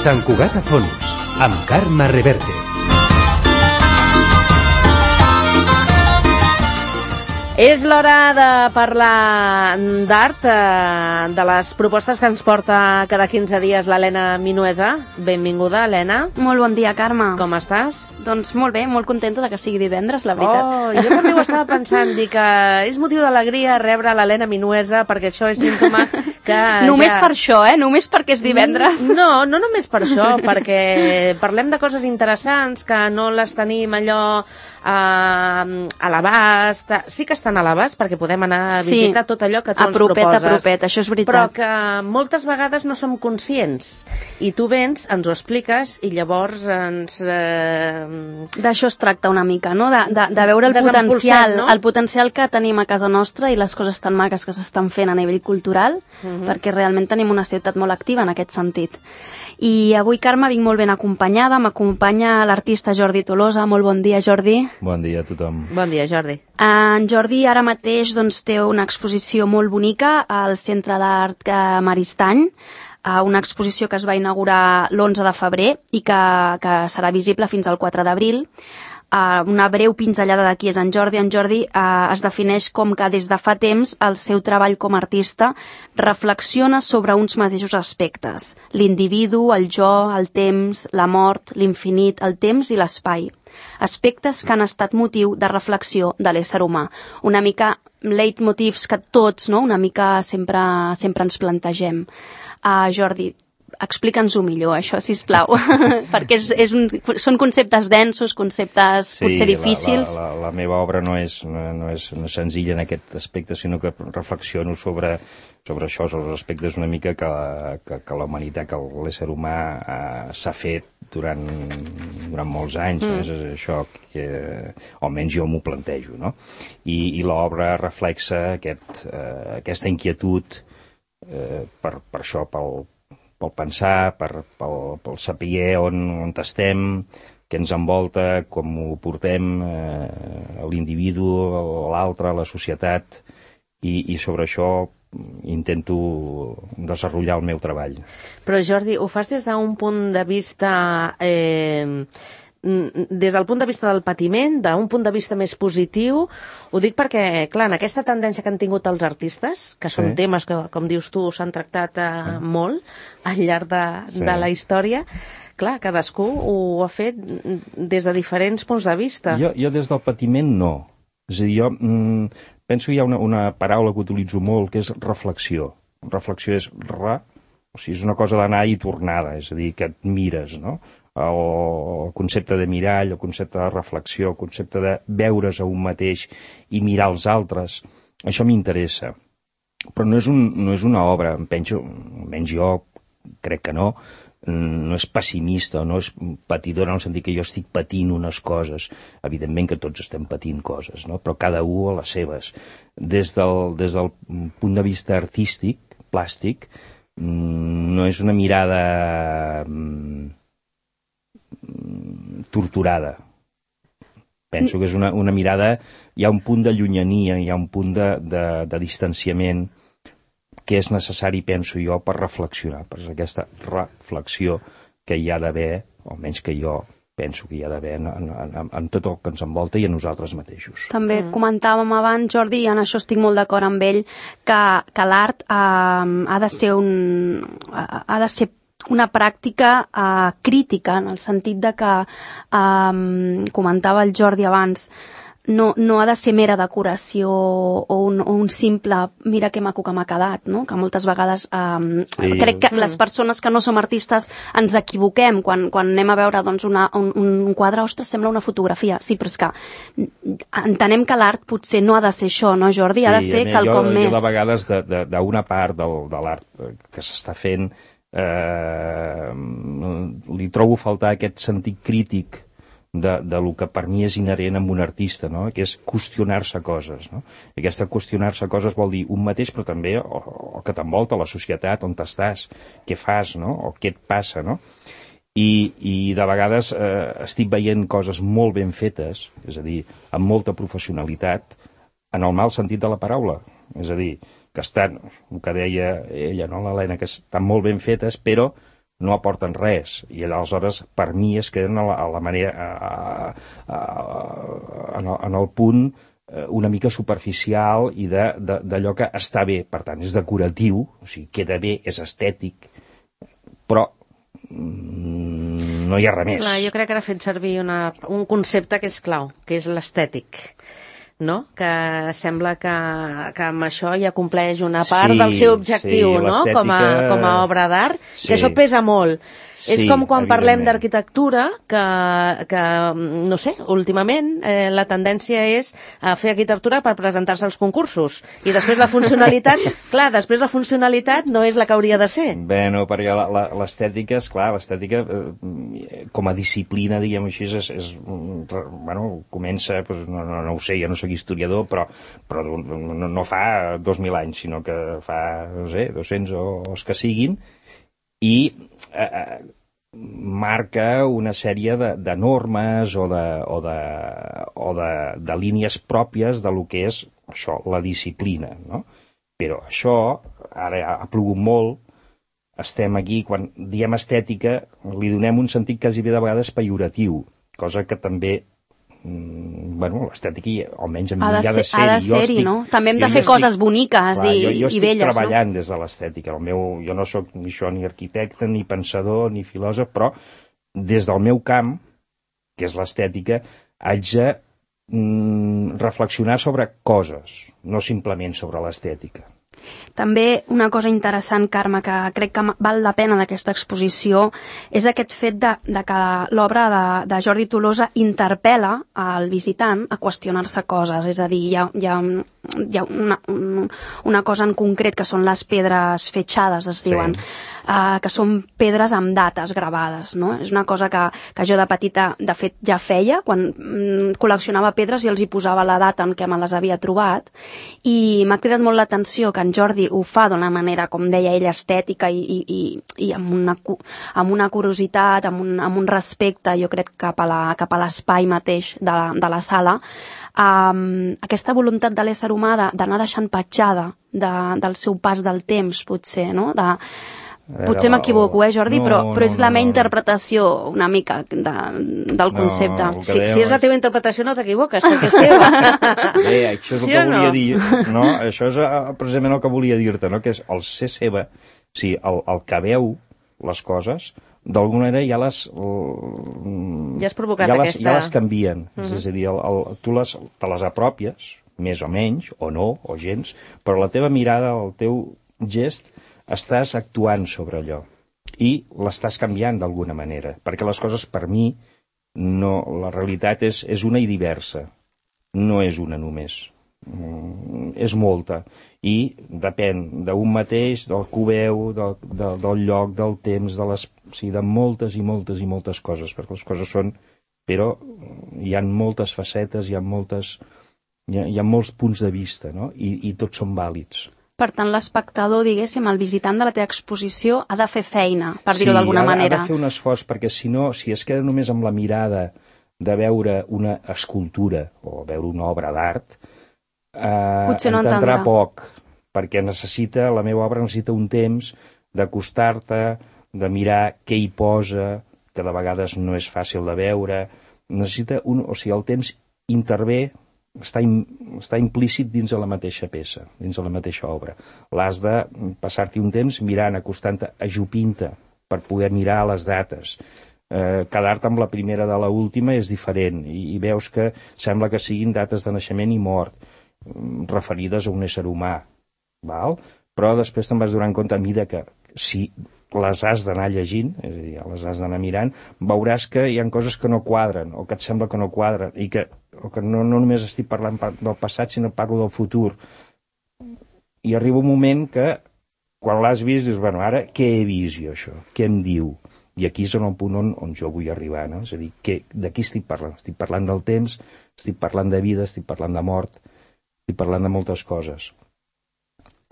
Sant Cugat a Fons, amb Carme Reverte. És l'hora de parlar d'art, de les propostes que ens porta cada 15 dies l'Helena Minuesa. Benvinguda, Helena. Molt bon dia, Carme. Com estàs? Doncs molt bé, molt contenta de que sigui divendres, la veritat. Oh, jo també ho estava pensant, dic que és motiu d'alegria rebre l'Helena Minuesa, perquè això és símptoma que... Només per això, Només perquè és divendres. No només per això, perquè parlem de coses interessants que no les tenim allò a l'abast. Sí que estan a l'abast, perquè podem anar a visitar tot allò que tu ens proposes. A propet, això és veritat. Però que moltes vegades no som conscients. I tu vens, ens ho expliques, i llavors ens... D'això es tracta una mica, no? De veure el potencial, no? El potencial que tenim a casa nostra i les coses tan maques que s'estan fent a nivell cultural, perquè realment tenim una ciutat molt activa en aquest sentit. I avui, Carme, vinc molt ben acompanyada. M'acompanya l'artista Jordi Tolosa. Molt bon dia, Jordi. Bon dia a tothom. Bon dia, Jordi. En Jordi ara mateix té una exposició molt bonica al Centre d'Art Maristany, una exposició que es va inaugurar l'11 de febrer i que serà visible fins al 4 d'abril. Una breu pinzellada de qui és en Jordi. En Jordi es defineix com que des de fa temps el seu treball com a artista reflexiona sobre uns mateixos aspectes: l'individu, el jo, el temps, la mort, l'infinit, el temps i l'espai. Aspectes que han estat motiu de reflexió de l'ésser humà. Una mica leitmotivs que tots, no?, una mica sempre ens plantegem. Jordi, explica'ns-ho millor, això, sisplau, perquè són conceptes densos, conceptes potser difícils. Sí, la meva obra no és senzilla en aquest aspecte, sinó que reflexiono sobre això, sobre els aspectes una mica que la humanitat, que l'ésser humà s'ha fet durant molts anys. És això que almenys jo m'ho plantejo, no? I l'obra reflexa aquesta inquietud per això, pel pensar, pel saber on estem, què ens envolta, com ho portem, l'individu, l'altre, la societat, i sobre això intento desenvolupar el meu treball. Però, Jordi, ho fas des d'un punt de vista... des del punt de vista del patiment, d'un punt de vista més positiu. Ho dic perquè, clar, en aquesta tendència que han tingut els artistes, que són temes que, com dius tu, s'han tractat molt al llarg de la història, clar, cadascú ho ha fet des de diferents punts de vista. Jo des del patiment no. És a dir, jo penso que hi ha una paraula que utilitzo molt, que és reflexió. Reflexió és o sigui, és una cosa d'anar i tornada, és a dir, que et mires, no? El concepte de mirall, el concepte de reflexió, el concepte de veure's a un mateix i mirar els altres, això m'interessa. Però no és una obra, almenys jo crec que no és pessimista, no és patidora en el sentit que jo estic patint unes coses. Evidentment que tots estem patint coses, no? Però cada un a les seves. Des del punt de vista artístic, plàstic, no és una mirada torturada. Penso que és una mirada, hi ha un punt de llunyania, hi ha un punt de distanciament que és necessari, penso jo, per reflexionar, per aquesta reflexió que hi ha d'haver, o almenys que jo penso que hi ha d'haver en tot el que ens envolta i en nosaltres mateixos. També comentàvem abans, Jordi, i en això estic molt d'acord amb ell, que l'art ha de ser una pràctica crítica, en el sentit de que, comentava el Jordi abans, no ha de ser mera decoració o un simple mira que maco que m'ha quedat, no? Que moltes vegades crec que les persones que no som artistes ens equivoquem quan anem a veure un quadre, ostres, sembla una fotografia. Sí, però és que entenem que l'art potser no ha de ser això, no, Jordi? Ha de ser quelcom més. Jo de vegades d'una part de l'art que s'està fent li trobo faltar aquest sentit crític de lo que per mi és inherent amb un artista, no? Que és qüestionar-se coses, no? I aquesta qüestionar-se coses vol dir un mateix, però també el que t'envolta, la societat, on estàs, què fas, no? O què et passa, no? I de vegades estic veient coses molt ben fetes, és a dir, amb molta professionalitat, en el mal sentit de la paraula. És a dir, que estan, el que deia ella, no, l'Helena, que estan molt ben fetes, però no aporten res, i aleshores per mi es queden a la manera en el punt una mica superficial i d'allò que està bé, per tant és decoratiu, o sigui, queda bé, és estètic, però no hi ha res més. Clar, jo crec que ara ha fet servir un concepte que és clau, que és l'estètic, no? Que sembla que amb això ja compleix una part del seu objectiu, no? Com a obra d'art, que això pesa molt. És com quan parlem d'arquitectura, que, no sé, últimament la tendència és a fer arquitectura per presentar-se als concursos. I després la funcionalitat, clar, després la funcionalitat no és la que hauria de ser. Bueno, perquè l'estètica, esclar, l'estètica com a disciplina, diguem així, bueno, comença, no ho sé, jo no soc historiador, però no fa 2.000 anys, sinó que fa, no sé, 200 o els que siguin, i marca una sèrie de normes o de línies pròpies de lo que és això, la disciplina, no? Però això, ara ha plogut molt, estem aquí, quan diem estètica, li donem un sentit quasi bé de vegades pejoratiu, cosa que també bueno, l'estètica, almenys a mi ha de ser-hi, no? També hem de fer coses boniques i belles, jo estic treballant des de l'estètica. Jo no sóc ni arquitecte, ni pensador, ni filòsof, però des del meu camp, que és l'estètica, haig de reflexionar sobre coses, no simplement sobre l'estètica. També una cosa interessant, Carme, que crec que val la pena d'aquesta exposició és aquest fet de que l'obra de Jordi Tolosa interpel·la al visitant a qüestionar-se coses. És a dir, hi ha una cosa en concret que són les pedres fetxades, es diuen, que són pedres amb dates gravades, no? És una cosa que jo de petita, de fet, ja feia, quan col·leccionava pedres i els hi posava la data en què me les havia trobat, i m'ha cridat molt l'atenció que en Jordi ho fa d'una manera, com deia ell, estètica i amb una curiositat, amb un respecte, jo crec, cap a l'espai mateix de la sala. Aquesta voluntat de l'ésser humà d'anar deixant petjada del seu pas del temps, potser, no? Potser m'equivoco, Jordi, però és la meva interpretació una mica del concepte. Si és la teva interpretació no t'equivoques, perquè és teva. Això és el que volia dir, no? Això és precisament el que volia dir-te, no? Que és el ser seva, o sigui, el que veu les coses, d'alguna manera ja has provocat aquesta... Ja les canvien, és a dir, tu te les apropies, més o menys, o no, o gens, però la teva mirada, el teu gest, estàs actuant sobre allò i l'estàs canviant d'alguna manera, perquè les coses per mi, la realitat és una i diversa, no és una només, és molta, i depèn d'un mateix, del que ho veu, del lloc, del temps, de moltes i moltes i moltes coses, perquè les coses són, però hi ha moltes facetes, hi ha molts punts de vista, no? I tots són vàlids. Per tant, l'espectador, diguéssim, el visitant de la teva exposició ha de fer feina, per dir-ho d'alguna manera. Sí, ha de fer un esforç, perquè si no, si es queda només amb la mirada de veure una escultura o veure una obra d'art, entendrà poc, perquè la meva obra necessita un temps d'acostar-te, de mirar què hi posa, que de vegades no és fàcil de veure, o sigui, el temps intervé, està implícit dins de la mateixa peça, dins de la mateixa obra. L'has de passar-t'hi un temps mirant, acostant-te, ajupint-te, per poder mirar les dates. Quedar-te amb la primera de l'última és diferent, i veus que sembla que siguin dates de naixement i mort, referides a un ésser humà, val? Però després te'n vas donant compte, a mesura que si les has d'anar llegint, és a dir, les has d'anar mirant, veuràs que hi ha coses que no quadren, o que et sembla que no quadren, i que no només estic parlant del passat, sinó parlo del futur. I arriba un moment que, quan l'has vist, dius, bueno, ara què he vist jo, això? Què em diu? I aquí és el punt on jo vull arribar, no? És a dir, de qui estic parlant? Estic parlant del temps, estic parlant de vida, estic parlant de mort, estic parlant de moltes coses.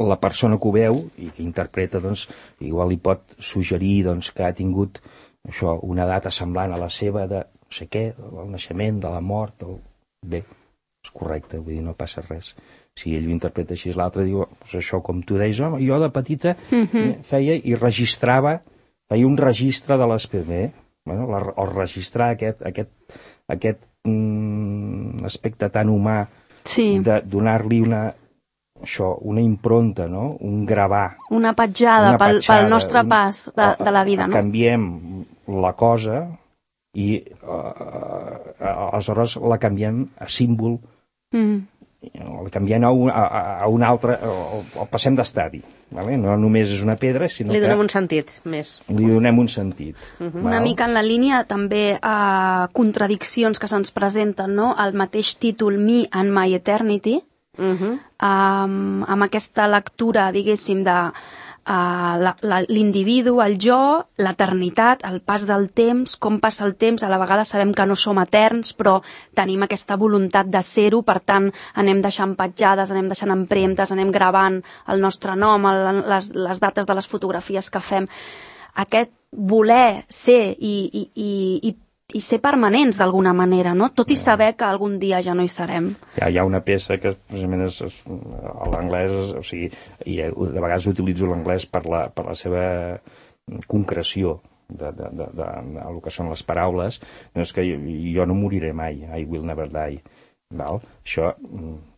La persona que ho veu i que interpreta, doncs, igual li pot suggerir que ha tingut això, una data semblant a la seva de no sé què, del naixement, de la mort, bé, és correcte, vull dir, no passa res. Si ell ho interpreta així, l'altre diu, doncs això, com tu deies, jo de petita feia i registrava feia un registre de l'espècie, bueno, o registrar aquest aspecte tan humà, de donar-li una impronta, no? Un gravar. Una petjada pel nostre pas de la vida, no? Canviem la cosa i aleshores la canviem a símbol, la canviem a un altre, o passem d'estadi. Vale? No només és una pedra, sinó que... Li donem un sentit més. Li donem un sentit. Una mica en la línia també contradiccions que se'ns presenten, no? El mateix títol Me and My Eternity, amb aquesta lectura, diguéssim, de l'individu, el jo, l'eternitat, el pas del temps, com passa el temps. A la vegada sabem que no som eterns, però tenim aquesta voluntat de ser-ho, per tant anem deixant petjades, anem deixant empremtes, anem gravant el nostre nom, les dates de les fotografies que fem. Aquest voler ser i ser permanents d'alguna manera, no? Tot i saber que algun dia ja no hi serem. Hi ha una peça que precisament és l'anglès, o sigui, i de vegades utilitzo l'anglès per la seva concreció del que són les paraules, no és que jo no moriré mai, I will never die. Val? Això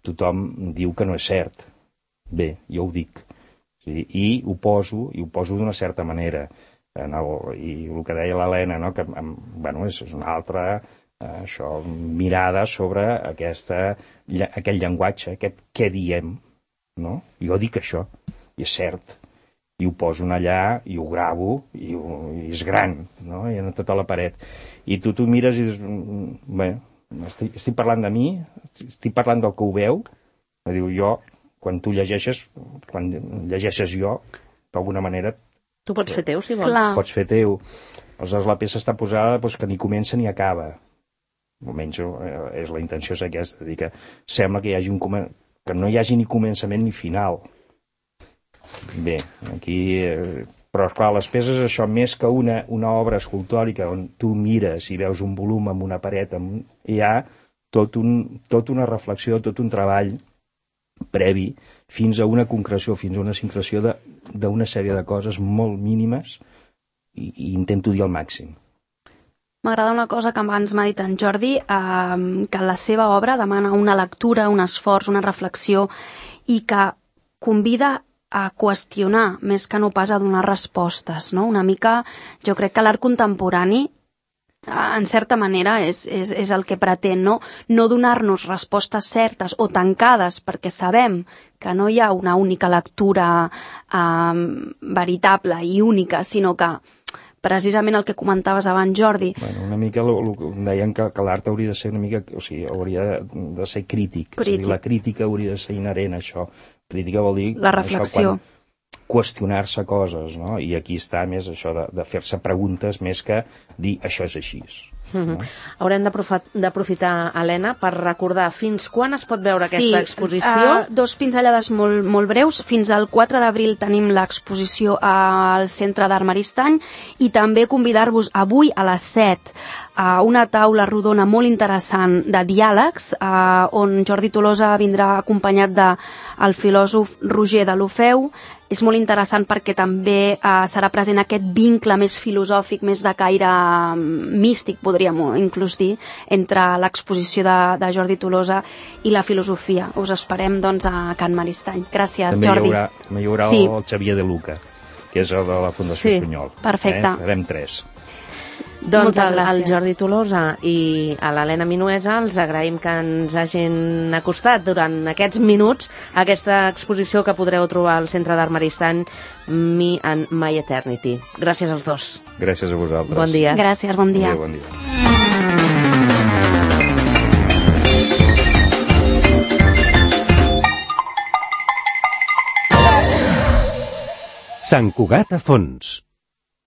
tothom diu que no és cert. Bé, jo ho dic. Sí? I ho poso d'una certa manera. I el que deia l'Helena, no? Que és una altra mirada sobre aquell llenguatge, aquest què diem, no? Jo dic això, i és cert, i ho poso allà, i ho gravo, i és gran, no? I en tota la paret. I tu mires i dius, bé, estic parlant de mi, estic parlant del que ho veu, diu jo, quan tu llegeixes jo, d'alguna manera tu pots fer teu, si vols. Pots fer teu. Aleshores, la peça està posada que ni comença ni acaba. Almenys és la intenció és aquesta, dir que sembla que que no hi hagi ni començament ni final. Bé, aquí... Però, esclar, les peces, això, més que una obra escultòrica on tu mires i veus un volum amb una paret, hi ha tot una reflexió, tot un treball previ, fins a una concreció, fins a una sincreció d'una sèrie de coses molt mínimes i intento dir al màxim. M'agrada una cosa que abans m'ha dit en Jordi, que la seva obra demana una lectura, un esforç, una reflexió i que convida a qüestionar més que no pas a donar respostes, no? Una mica, jo crec que l'art contemporani en certa manera és el que pretén, no donar-nos respostes certes o tancades perquè sabem que no hi ha una única lectura veritable i única, sinó que precisament el que comentaves abans, Jordi. Bueno, una mica deien que l'art hauria de ser una mica, o sigui, hauria de ser crític. O sigui, la crítica hauria de ser inherent a això. Crítica vol dir la reflexió. Qüestionar-se coses, no? I aquí està més això de fer-se preguntes més que dir això és així. No? Haurem d'aprofitar, Helena, per recordar fins quan es pot veure aquesta exposició. Dos pinzellades molt breus. Fins al 4 d'abril tenim l'exposició al Centre d'Art Maristany i també convidar-vos avui a les 7 a una taula rodona molt interessant de diàlegs on Jordi Tolosa vindrà acompanyat del filòsof Roger Deulofeu. És molt interessant perquè també serà present aquest vincle més filosòfic, més de caire místic, podríem inclús dir, entre l'exposició de Jordi Tolosa i la filosofia. Us esperem, doncs, a Can Maristany. Gràcies, Jordi. També hi haurà el Xavier De Luca, que és el de la Fundació Sunyol. Perfecte. Farem 3. Doncs al Jordi Tolosa i a l'Helena Minuesa els agraïm que ens hagin acostat durant aquests minuts a aquesta exposició que podreu trobar al Centre d'Art Maristany, Me and My Eternity. Gràcies als dos. Gràcies a vosaltres. Bon dia. Gràcies, bon dia. Bon dia. Sant Cugat a fons.